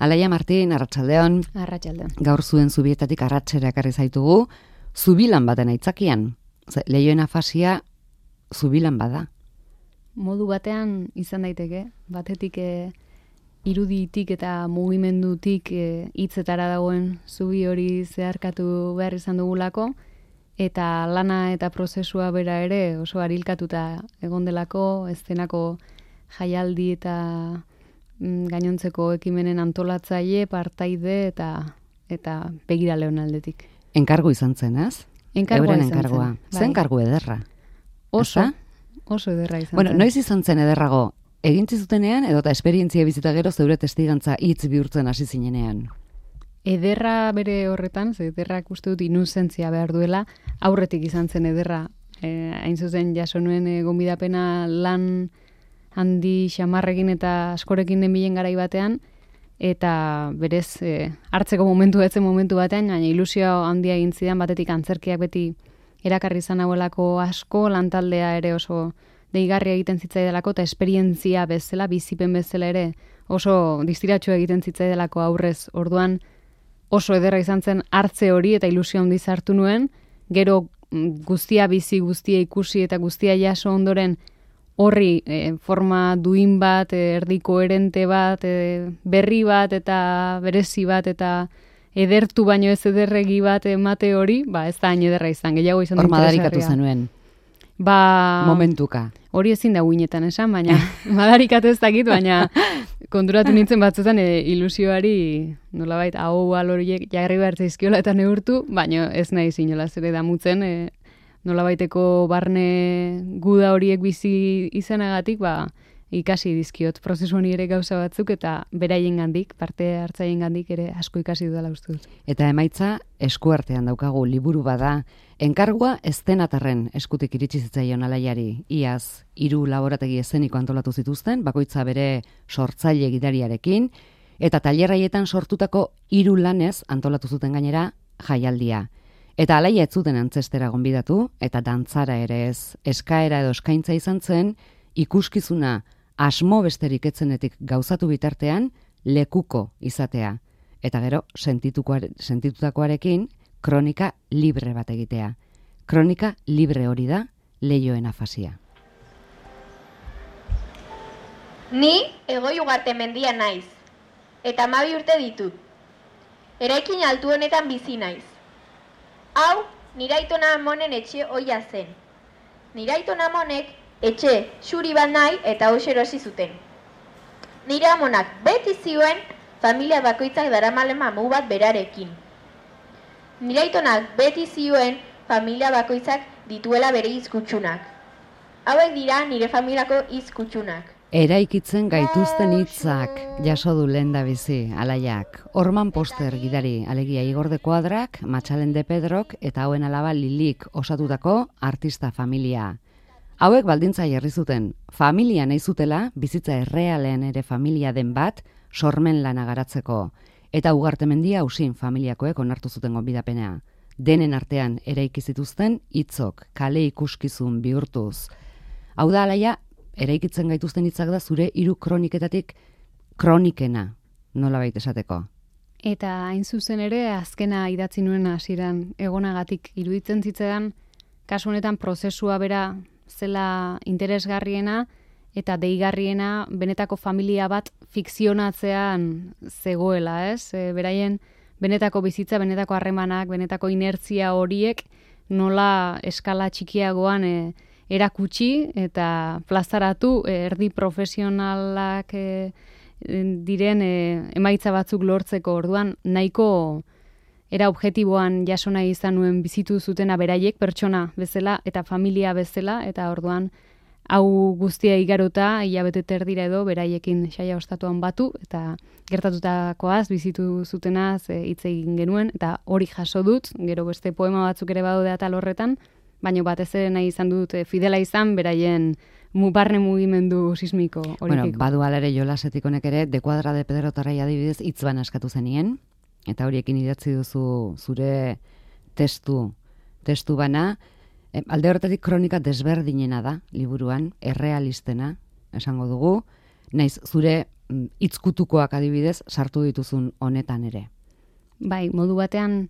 Alaia Martin, arratsaldeon. Arratsaldeon. Gaur zuen zubietatik arratsera ekarri zaitugu, zubilan baten aitzakian. Leihoen afasia zubilan bada. Modu batean izan daiteke, batetik iruditik eta mugimendutik hitzetara dagoen zubi hori zeharkatu behar izan dugulako, eta lana eta prozesua bera ere oso arilkatuta egon delako, eszenako jaialdi eta gainontzeko ekimenen antolatzaile, partaide eta begiraleon aldetik. Enkargu izan zen, ez? Enkargua izan enkargua. zen. Zen enkargu ederra. Oso ederra izan Bueno, zen. noiz izan zen ederrago? Egintzi zutenean edo eta esperientzia bizita gero zeure testigantza hitz bihurtzen hasi zinenean? Ederra bere horretan, ze ederrak uste dut inuzentzia behar duela, aurretik izan zen ederra. Hain zuzen jaso nuen gonbidapena lan handi xamarrekin eta askorekin den bilen garai batean, eta berez hartzeko momentu batean, baina ilusio handia egin zidan, batetik antzerkiak beti erakarri izan hauelako asko, lantaldea ere oso deigarria egiten zitzaidelako, eta esperientzia bezala, bizipen bezala ere oso distiratxo egiten zitzaidelako aurrez. Orduan oso ederra izan zen hartze hori eta ilusio handiz hartu nuen, gero guztia bizi, guztia ikusi eta guztia jaso ondoren horri forma duin bat, erdi koherente bat, berri bat eta berezi bat eta edertu baino ez ederregi bat emate hori, ez da hain ederra izan, gehiago izan Hor madarikatu zenuen. Momentuka. Hori ezin da guinetan esan, baina madarikatu ez dakit, baina konturatu nintzen batzutan ilusioari nolabait hau horiek jarri behar zaizkiola eta neurtu, baina ez nahi zinolaz ere damutzen, nolabaiteko barne guda horiek bizi izanagatik, ikasi dizkiot prozesu honi ere gauza batzuk eta beraiengandik, parte hartzaiengandik ere asko ikasi dudala uste dut. Eta emaitza eskuartean daukagu, liburu bada. Enkargua eztenatarren eskutik iritsi zitzaion Alaiari. Iaz 3 laborategi eszeniko antolatu zituzten, bakoitza bere sortzaile gidariarekin, eta tailerraietan sortutako 3 lanez antolatu zuten gainera jaialdia. Eta Alaia ez zuten antzestera gonbidatu, eta dantzara ere ez, eskaera edo eskaintza izan zen, ikuskizuna asmo besterik etzenetik gauzatu bitartean lekuko izatea. Eta gero, sentitutakoarekin, kronika libre bat egitea. Kronika libre hori da leihoen afasia. Ni Egoi Ugarte mendia naiz, eta 12 urte ditut. Eraikin altu honetan bizi naiz. Hau, nire aitona amonen etxe ohia zen. Nire aitona amonek etxe xuri bat nahi eta hoxe erosi zuten. Nire amonak beti zioen familia bakoitzak daramalen mamu bat berarekin. Nire aitonak beti zioen familia bakoitzak dituela bere hizkutsunak. Hauek dira nire familiako hizkutsunak. Eraikitzen gaituzten hitzak jaso du lehendabizi Alaiak. Orman Poster gidari, alegia Igor de Kuadrak, Matxalen de Pedrok eta hauen alaba Lilik osatutako artista familia. Hauek baldintza jarri zuten, familia nahi zutela, bizitza errealean ere familia den bat, sormen lana garatzeko. Eta Ugarte mendia Usin familiakoek onartu zuten gonbidapena. Denen artean eraiki zituzten hitzok, kale ikuskizun bihurtuz. Hau da, Alaia, eraikitzen gaituzten hitzak da zure 3 kroniketatik kronikena, nolabait esateko. Eta hain zuzen ere, azkena idatzi nuen hasieran egonagatik iruditzen zitzaidan, kasu honetan prozesua bera zela interesgarriena eta deigarriena benetako familia bat fikzionatzean zegoela, ez? Beraien benetako bizitza, benetako harremanak, benetako inertzia horiek nola eskala txikiagoan erakutsi eta plazaratu erdi profesionalak diren emaitza batzuk lortzeko. Orduan nahiko era objektiboan jaso nahi izan nuen bizitu zutena beraiek pertsona bezala eta familia bezala, eta orduan hau guztia igarota hilabete terdira edo beraiekin saia ostatuan batu eta gertatutakoaz bizitu zutenaz hitz egin genuen eta hori jaso dut, gero beste poema batzuk ere badaude atal horretan, baina batez ere nahi izan dut fidela izan beraien barne mugimendu sismiko horikiko. Bueno, badu alere Jolasetik honek ere, de Kuadra de Pedro Tarrai adibidez hitz bana eskatu zenien, eta horiekin idatzi duzu zure testu bana, alde horretatik kronika desberdinena da liburuan, errealistena, esango dugu, naiz zure hitzkutukoak adibidez sartu dituzun honetan ere. Bai, modu batean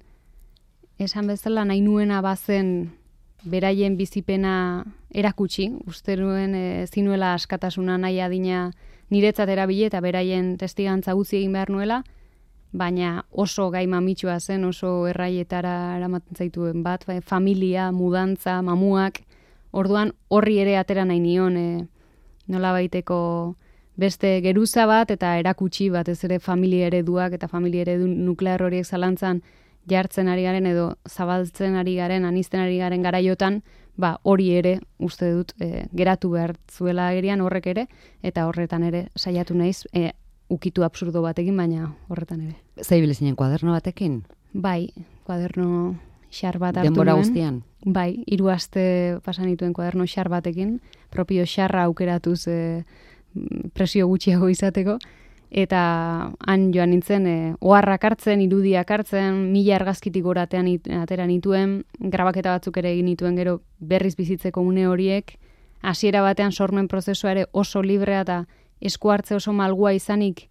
esan bezala nahi nuena bazen beraien bizipena erakutsi, uste nuen zinuela askatasuna nahi adina niretzat erabili eta beraien testigantza gutxi egin behar nuela, baina oso gai mamitsua zen, oso erraietara eramaten zaituen bat, familia, mudantza, mamuak, orduan horri ere atera nahi nion, nola baiteko beste geruza bat eta erakutsi batez ere familia ereduak eta familia eredu nuklear horiek zalantzan jartzen ari garen edo zabaltzen ari garen, anizten ari garen garaiotan, hori ere uste dut geratu behar zuela agerian horrek ere, eta horretan ere saiatu naiz, ukitu absurdo batekin, baina horretan ere. Zaibile zinen kuaderno batekin? Bai, kuaderno xar bat hartu denbora nuen. Guztian? Bai, 3 aste pasan dituen kuaderno xar batekin, propio xarra aukeratuz presio gutxiago izateko, eta han joan nintzen oharrak hartzen, irudiak hartzen, 1000 argazkitik goratean atera nituen, grabaketa batzuk ere egin nituen gero berriz bizitzeko une horiek, hasiera batean sormen prozesua ere oso librea eta esku hartze oso malgua izanik,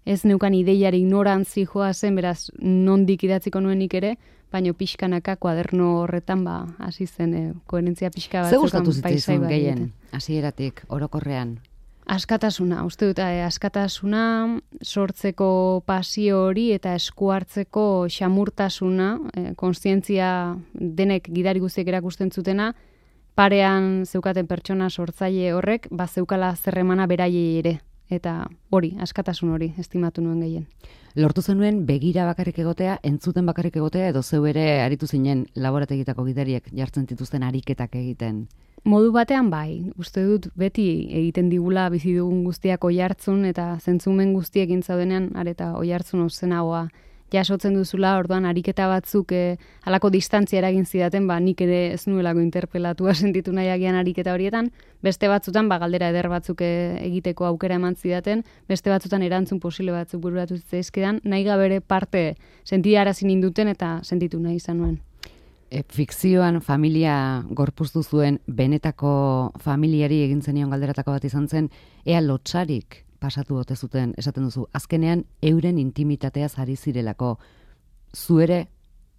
ez neukan ideiari ignorantzi joa zen, beraz nondik idatziko nuenik ere, baino pixkanaka kuaderno horretan hasi zen koherentzia pixka bat. Ze gustatu zitzaizun gehien, hasieratik, orokorrean? Askatasuna, uste dut, askatasuna, sortzeko pasio hori eta esku hartzeko xamurtasuna, kontzientzia denek gidari guztiek erakusten zutena, parean zeukaten pertsona sortzaile horrek, zeukala zerremana beraiei ere. Eta hori, askatasun hori, estimatu nuen gehien. Lortu zenuen begira bakarrik egotea, entzuten bakarrik egotea, edo zeu ere aritu zinen laborategitako gidariek jartzen dituzten ariketak egiten? Modu batean bai, uste dut beti egiten digula bizi dugun guztiak oihartzun eta zentzumen guztiekin zaudenean areta oihartzun ozenagoa jasotzen duzula, orduan ariketa batzuk halako distantzia eragin zidaten, nik ere ez nuelako interpelatua sentitu nahi agian ariketa horietan, beste batzutan galdera eder batzuk egiteko aukera eman zidaten, beste batzutan erantzun posible batzuk bururatu zitzaizkidan, nahi gabere parte sentiarazi ninduten eta sentitu nahi izan nuen. Fikzioan familia gorpuztu zuen benetako familiari egin zenion galderatako bat izan zen, ea lotsarik pasatu ote zuten, esaten duzu, azkenean euren intimitateaz ari zirelako. Zu ere,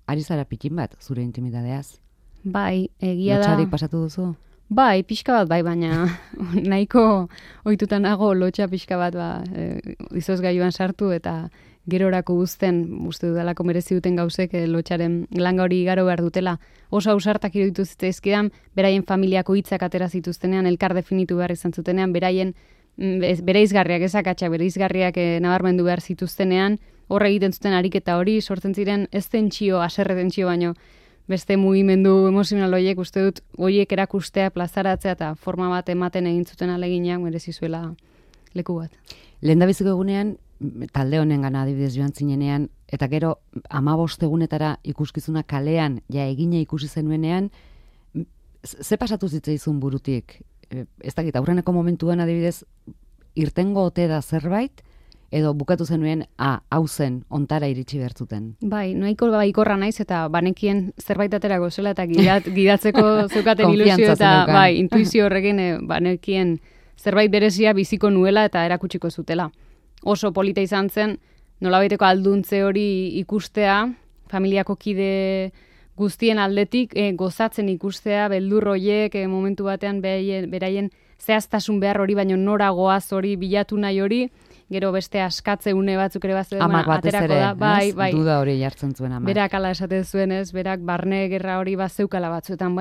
ari zara pitin bat, zure intimitateaz? Bai, egia da. Lotsarik pasatu duzu? Bai, pixka bat bai, baina nahiko ohituta nago lotsa pixka bat izozgailuan sartu eta gerorako uzten, uste dudalako merezi duten gauzek lotxaren langa hori igaro behar dutela. Oso ausartak iruditu zitzaizkidan, beraien familiako hitzak atera zituztenean, elkar definitu behar izan zutenean, beraien bereizgarriak, ezakatxak bereizgarriak nabarmendu behar zituztenean, horre egiten zuten ariketa hori, sortzen ziren ez tentsio, haserre tentsio baino, beste mugimendu emozional horiek, uste dut, horiek erakustea, plazaratzea eta forma bat ematen egin zuten aleginak merezi zuela leku bat. Lehendabiziko egunean, talde honen gana adibidez joan zinenean, eta gero 15 egunetara ikuskizuna kalean ja egina ikusi zenuenean, ze pasatu zitzaizun burutik? Ez dakit, aurreneko momentuan adibidez, irtengo ote da zerbait, edo bukatu zenuen, hau zen, ontara iritsi bertzuten. Bai, nahiko baikorra naiz eta banekien zerbait aterako zela eta gidatzeko zeukaten ilusio eta bai, intuizio horrekin banekien zerbait berezia biziko nuela eta erakutsiko zutela. Oso polita izan zen, nolabaiteko alduntze hori ikustea, familiako kide guztien aldetik gozatzen ikustea, beldur horiek momentu batean beraien zehaztasun behar hori, baino nora goaz hori bilatu nahi hori, gero beste askatze une batzuk ere batzuk aterako da. Bai, duda hori jartzen zuen amak. Berak ala esaten zuen ez, berak barne gerra hori bazeukala batzuetan,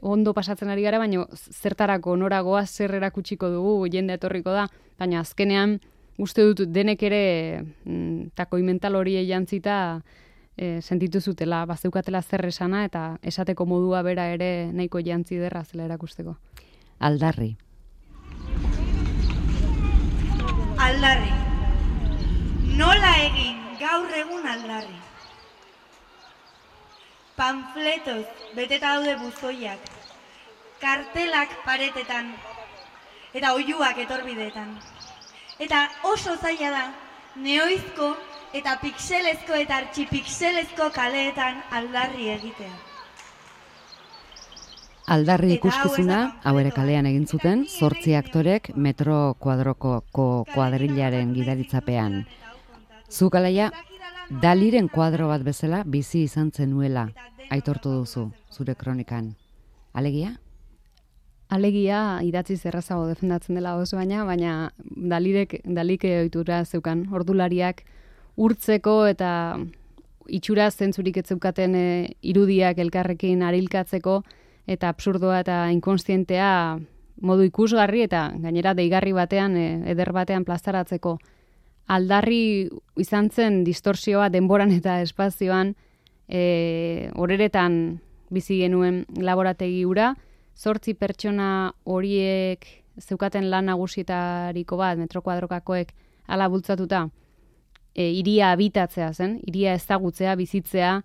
ondo pasatzen ari gara, baino zertarako nora goaz zer erakutsiko dugu, jende etorriko da, baina azkenean uste dut denek ere takoi mental hori jantzita sentitu zutela, bazeukatela zer esana eta esateko modua bera ere nahiko jantzi derra zela erakusteko. Aldarri. Aldarri. Nola egin gaur egun aldarri. Panfletoz beteta daude buzoiak, kartelak paretetan, eta oihuak etorbideetan. Eta oso zaila da, neoizko eta pixelezko eta artxipixelezko kaleetan aldarri egitea. Aldarri Eta ikuskizuna, hau ez da hau ere panfletoa. kalean egin zuten, 8 aktorek metro kuadroko kuadrilaren gidaritzapean. Zuk alaia, Daliren kuadro bat bezala bizi izan zenuela, aitortu duzu, zure kronikan. Alegia? Alegia idatziz errazago defendatzen dela oso baina Dalik ohitura zeukan ordulariak urtzeko eta itxura zentzurik ez zeukaten irudiak elkarrekin arilkatzeko eta absurdoa eta inkonstientea modu ikusgarri eta gainera deigarri batean, eder batean plazaratzeko. Aldarri izan zen distorsioa denboran eta espazioan horeretan bizi genuen laborategi hura, 8 pertsona horiek zeukaten lan nagusietariko bat, metro kuadrokakoek hala bultzatuta, hiria habitatzea zen, hiria ezagutzea, bizitzea,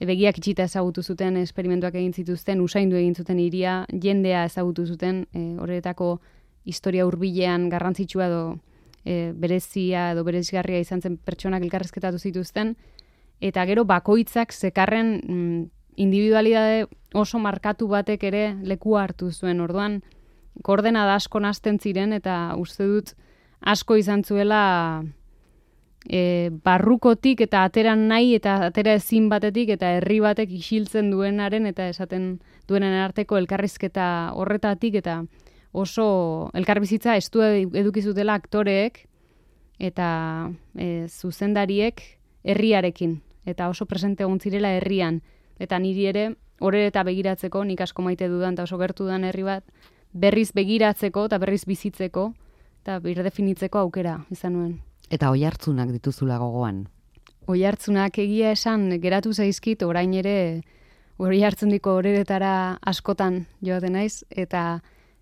begiak itxita ezagutu zuten, esperimentuak egin zituzten, usaindu egin zuten hiria, jendea ezagutu zuten, horretako historia hurbilean garrantzitsua edo berezia edo berezgarria izan zen pertsonak elkarrizketatu zituzten, eta gero bakoitzak zekarren individualidade oso markatu batek ere lekua hartu zuen. Orduan, koordenada asko nahasten ziren eta uste dut asko izan zuela barrukotik eta ateran nahi eta atera ezin batetik eta herri batek isiltzen duenaren eta esaten duenen arteko elkarrizketa horretatik eta oso elkarbizitza estu eduki zutela aktoreek eta zuzendariek herriarekin eta oso presente egon zirela herrian. Eta niri ere, horre eta begiratzeko, nik asko maite dudan eta oso gertu dudan herri bat, berriz begiratzeko eta berriz bizitzeko eta birdefinitzeko aukera izan nuen. Eta oihartzunak dituzula gogoan. Oihartzunak egia esan geratu zaizkit, orain ere oihartzundiko horeretara askotan joaten naiz, eta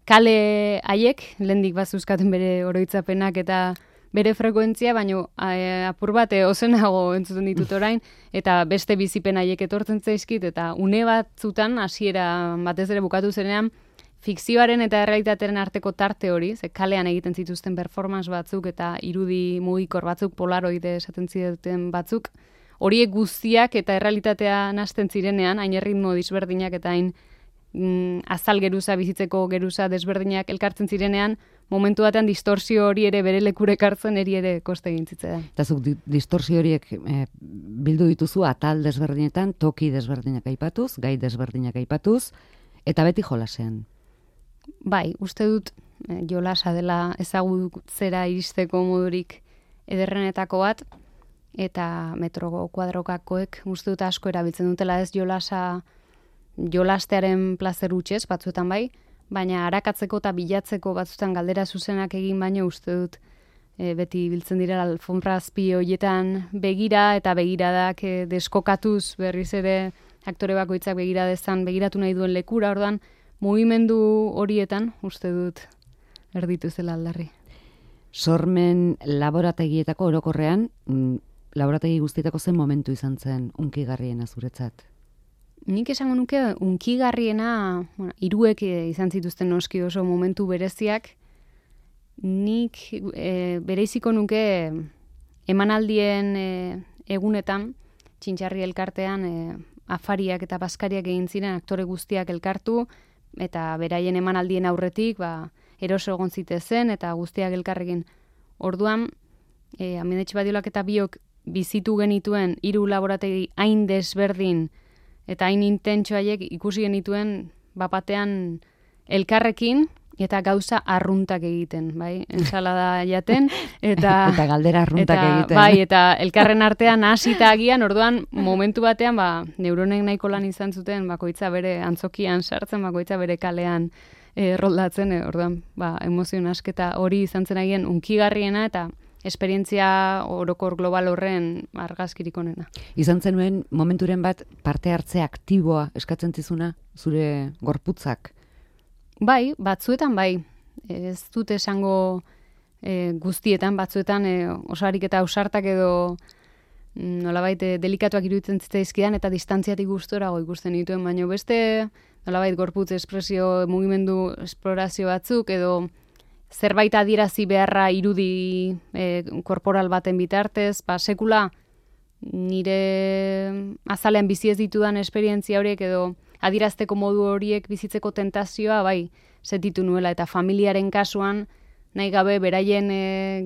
kale haiek, lehendik bazuzkaten bere oroitzapenak eta bere frekuentzia, baino apur bat ozenago entzuten ditut orain, eta beste bizipen haiek etortzen zaizkit, eta une batzutan, hasiera batez ere bukatu zenean, fikzioaren eta errealitatearen arteko tarte hori, ze kalean egiten zituzten performance batzuk eta irudi mugikor batzuk, polaroide esaten zituen batzuk, horiek guztiak eta errealitatea nahasten zirenean, hain erritmo disberdinak eta hain azal geruza, bizitzeko geruza desberdinak elkartzen zirenean, momentu batean distorsio hori ere bere lekure ekartzen ere koste egin zitzaidan. Eta zuk distorsio horiek bildu dituzu atal desberdinetan, toki desberdinak aipatuz, gai desberdinak aipatuz, eta beti jolasean. Bai, uste dut jolasa dela ezagutzera iristeko modurik ederrenetako bat, eta metro kuadrokakoek uste dut asko erabiltzen dutela ez jolastearen plazer hutsez, batzuetan bai, baina arakatzeko eta bilatzeko batzuetan galdera zuzenak egin baino uste dut beti biltzen direla alfombra azpi horietan begira eta begiradak deskokatuz berriz ere aktore bakoitzak begiradezan begiratu nahi duen lekura, orduan mugimendu horietan uste dut erditu zela Aldarri. Sormen laborategietako orokorrean, laborategi guztietako zen momentu izan zen unkigarriena zuretzat? Nik esango nuke unkigarriena, hiruek izan zituzten noski oso momentu bereziak, nik bereiziko nuke emanaldien egunetan, Txintxarri elkartean afariak eta baskariak egin ziren aktore guztiak elkartu, eta beraien emanaldien aurretik, eroso egon zitezen, eta guztiak elkarrekin. Orduan, Amidetxe Badiolak eta biok bizitu genituen 3 laborategi hain desberdin, eta hain intentso haiek ikusi genituen bapatean elkarrekin eta gauza arruntak egiten, bai? Ensalada jaten eta galdera arruntak egiten. Bai, eta elkarren artean hasita agian, orduan momentu batean neuronek nahiko lan izan zuten bakoitza bere antzokian sartzen, bakoitza bere kalean roldatzen, orduan emozio asketa hori izan zen agian unkigarriena eta esperientzia orokor global horren argazkirik onena. Izan zenuen momenturen bat parte hartze aktiboa eskatzen zizuna zure gorputzak? Bai, batzuetan bai. Ez dut esango guztietan, batzuetan osarik eta ausartak edo nolabait delikatuak iruditzen zitzaizkidan eta distantziatik gustorago ikusten dituen, baina beste nolabait gorputz espresio mugimendu esplorazio batzuk edo zerbait adierazi beharra irudi korporal baten bitartez, sekula nire azalean bizi ez ditudan esperientzia horiek edo adirazteko modu horiek bizitzeko tentazioa, bai, sentitu nuela, eta familiaren kasuan, nahi gabe beraien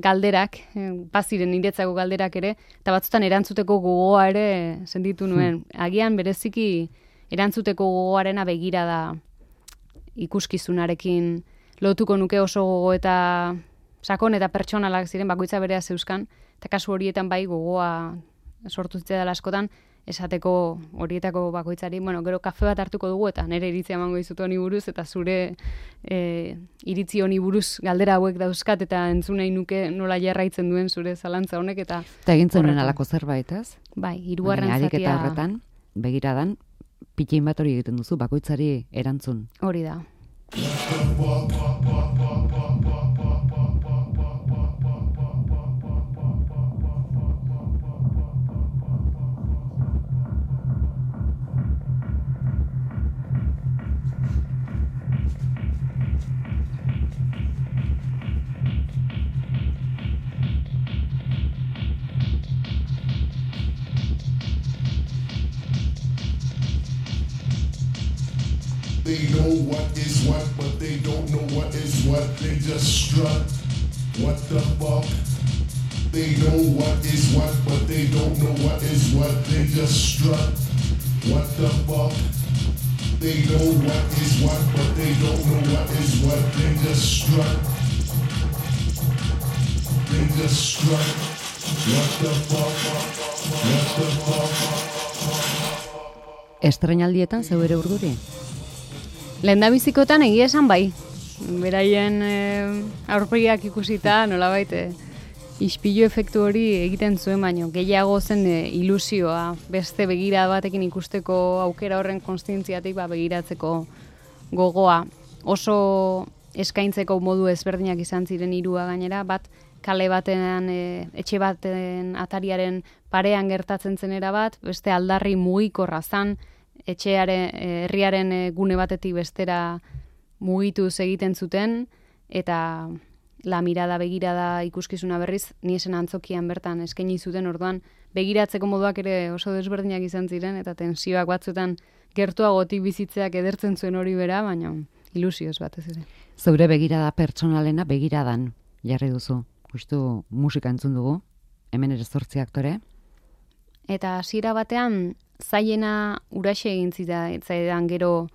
galderak, baziren niretzako galderak ere, eta batzutan erantzuteko gogoa ere sentitu nuen. Agian bereziki erantzuteko gogoarena begira da ikuskizunarekin lotuko nuke oso gogo eta sakon eta pertsonalak ziren bakoitza berea zeuzkan, eta kasu horietan bai gogoa sortu zitzaidan askotan, esateko horietako bakoitzari, gero kafe bat hartuko dugu eta nire iritzia emango dizut honi buruz, eta zure iritzi honi buruz galdera hauek dauzkat, eta entzun nahi nuke nola jarraitzen duen zure zalantza honek, eta egin zenuen alako zerbait, ez? Bai, hirugarren zatia. Ariketa horretan, begiradan, pitxein bat hori egiten duzu, bakoitzari erantzun. Hori da. They know what is what, but they don't know what is what. They just strut. What the fuck? They know what is what, but they don't know what is what. They just strut. What the fuck? They know what is what, but they don't know what is what. They just strut. They just strut. What the fuck? What the fuck? Estreinaldietan zeu ere urduri? Lehendabizikotan egia esan bai. Beraien aurpegiak ikusita nolabait ispilu efektu hori egiten zuen, baino gehiago zen ilusioa, beste begira batekin ikusteko aukera horren konstientziatik begiratzeko gogoa. Oso eskaintzeko modu ezberdinak izan ziren hirua gainera, bat kale batean, etxe baten atariaren parean gertatzen zenera bat, beste aldarri mugikorra zan, etxearen, herriaren gune batetik bestera mugituz egiten zuten, eta la mirada begirada ikuskizuna berriz, ni esen antzokian bertan eskaini zuten, orduan begiratzeko moduak ere oso desberdinak izan ziren, eta tensioak batzutan gertuagotik bizitzeak edertzen zuen hori bera, baina ilusioz batez ere. Zeure begirada pertsonalena begiradan jarri duzu. Justu musika entzun dugu, hemen ere 8 aktore. Eta hasiera batean zailena uraxe egin zitzaidan gero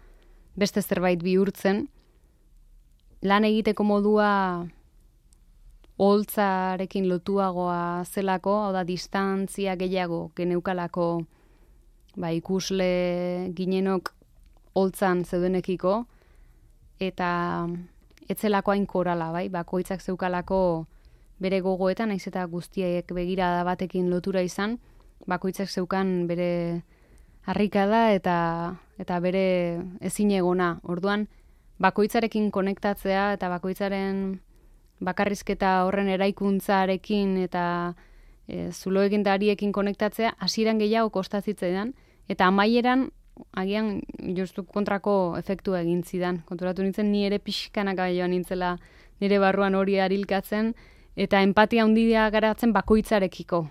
beste zerbait bihurtzen, lan egiteko modua oholtzarekin lotuagoa zelako, hau da distantzia gehiago geneukalako ikusle ginenok oholtzan zeudenekiko, eta etzelako hain korala, bakoitzak zeukalako bere gogoetan, naiz eta guztiek begirada batekin lotura izan, bakoitzak zeukan bere harrikada eta bere ezinegona. Orduan, bakoitzarekin konektatzea eta bakoitzaren bakarrizketa horren eraikuntzarekin eta zuloekin dariekin konektatzea hasieran gehiago kostazitzaidan, eta amaieran agian justu kontrako efektua egin zidan. Konturatu nintzen ni ere pixkanaka joan nintzela nire barruan hori arilkatzen, eta empatia handia garatzen bakoitzarekiko.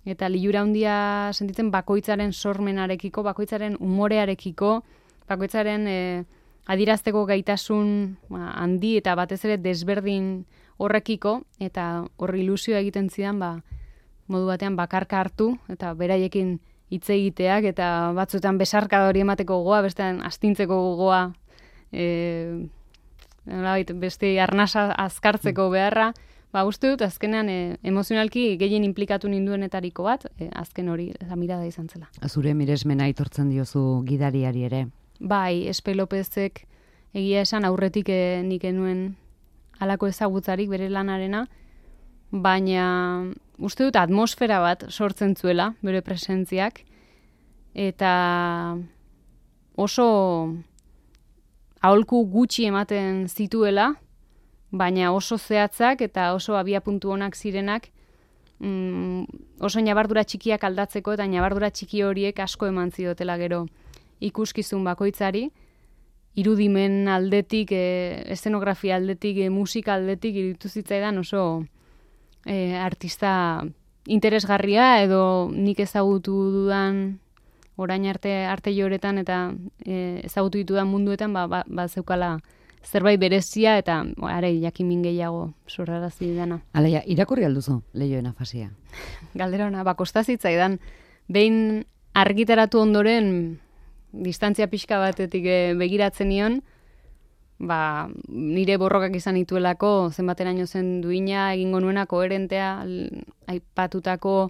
Eta lilura handia sentitzen bakoitzaren sormenarekiko, bakoitzaren umorearekiko, bakoitzaren adirazteko gaitasun handi eta batez ere desberdin horrekiko, eta horri ilusioa egiten zidan modu batean bakarka hartu, eta beraiekin hitz egiteak, eta batzuetan besarka hori emateko gogoa, bestean astintzeko gogoa, beste arnasa azkartzeko beharra, uste dut, azkenean emozionalki gehien inplikatu ninduenetariko bat, azken hori mirada izan zela. Zure miresmena aitortzen diozu gidariari ere? Bai, Espe Lopezek egia esan aurretik nik enuen halako ezagutzarik bere lanarena, baina uste dut atmosfera bat sortzen zuela bere presentziak, eta oso aholku gutxi ematen zituela, baina oso zehatzak eta oso abiapuntu onak zirenak, oso ñabardura txikiak aldatzeko, eta ñabardura txiki horiek asko eman zidotela gero ikuskizun bakoitzari, irudimen aldetik, eszenografia aldetik, musika aldetik iruditu zitzaidan oso artista interesgarria, edo nik ezagutu dudan orain arte joretan eta ezagutu ditudan munduetan zeukala zerbait berezia eta are jakimin gehiago sorrarazi dana. Alaia, irakurri alduzu Leihoen afasia? Galdera ona, kosta zitzaidan. Behin argitaratu ondoren distantzia pixka batetik begiratzen nion, nire borrokak izan dituelako, zenbateraino zen duina, egingo nuena, koherentea, aipatutako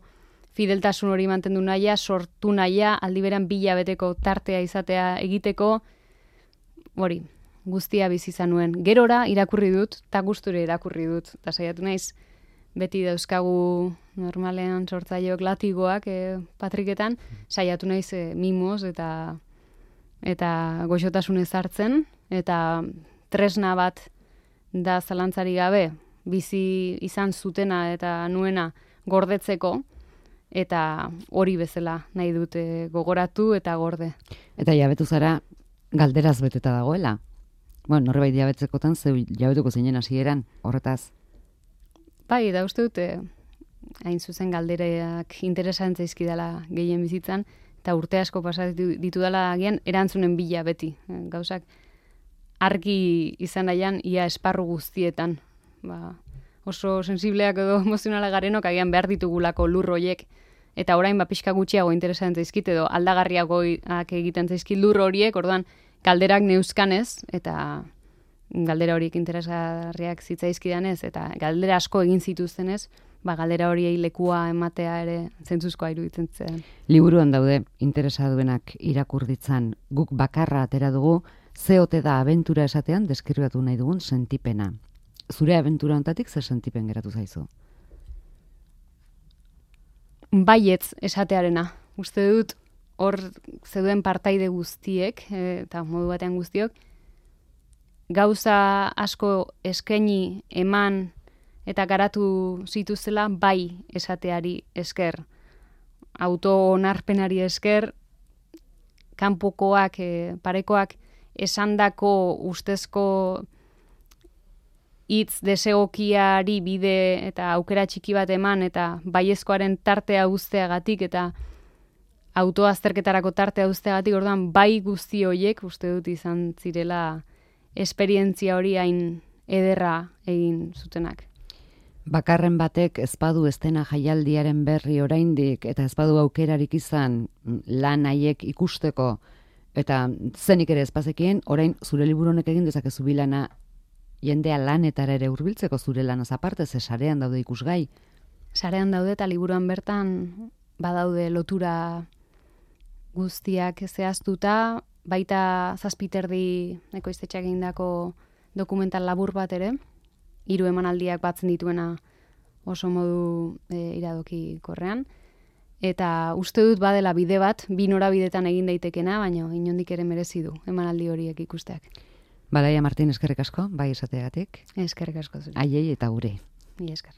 fideltasun hori mantendu nahia, sortu nahia, aldiberan 2 hilabeteko tartea izatea egiteko, hori, guztia bizi izan nuen. Gerora irakurri dut, eta gusture irakurri dut, eta saiatu naiz, beti dauzkagu normalean sortzaileok latigoak patriketan, saiatu naiz mimoz eta goxotasunez hartzen, eta tresna bat da zalantzari gabe, bizi izan zutena eta nuena gordetzeko, eta hori bezala nahi dute gogoratu eta gorde. Eta jabetu zara galderaz beteta dagoela? Bueno, norbait jabetzekotan, zeu jabetuko zinen hasieran horretaz? Bai, eta uste dute, hain zuzen galderak interesan zaizkidala gehien bizitzan, eta urte asko pasatu ditudala agian erantzunen bila beti. Gauzak argi izan nahian ia esparru guztietan. Oso sensibleak edo emozionala garenok agian behar ditugulako lur horiek, eta orain pixka gutxiago interesan zaizkit edo aldagarriagoak egiten zaizkit lur horiek, orduan galderak neuzkanez, eta galdera horiek interesgarriak zitzaizkidanez, eta galdera asko egin zituztenez, galdera horiei lekua ematea ere zentzuzkoa iruditzen zen. Liburuan daude, interesa duenak irakur ditzan, guk bakarra atera dugu, ze ote da abentura esatean deskribatu nahi dugun sentipena. Zure abentura honetatik zer sentipen geratu zaizu? Baietz esatearena. Uste dut hor zeuden partaide guztiek, eta modu batean guztiok, gauza asko eskaini eman eta garatu zituzela bai esateari esker. Auto-onarpenari esker, kanpokoak, parekoak esandako ustezko hitz desegokiari bide eta aukera txiki bat eman eta baiezkoaren tartea uzteagatik eta autoazterketarako tartea uzteagatik, orduan bai guzti horiek uste dut izan zirela esperientzia hori hain ederra egin zutenak. Bakarren batek ezpadu estena jaialdiaren berri oraindik eta ezpadu aukerarik izan lan haiek ikusteko eta zenik ere ezpazekien, orain zure liburu honek egin dezakezu bilana jendea lanetara ere hurbiltzeko zure lanaz aparte, ze sarean daude ikusgai. Sarean daude eta liburuan bertan badaude lotura guztiak zehaztuta, baita 7 ekoiztetxeak egindako dokumental labur bat ere, 3 emanaldiak batzen dituena oso modu iradoki korrean, eta uste dut badela bide bat, 2 norabidetan egin daitekena, baina inondik ere merezi du emanaldi horiek ikusteak. Balaia Martin, eskerrik asko, bai esateagatik. Eskerrik asko zure. Haiei eta gure. Mila esker.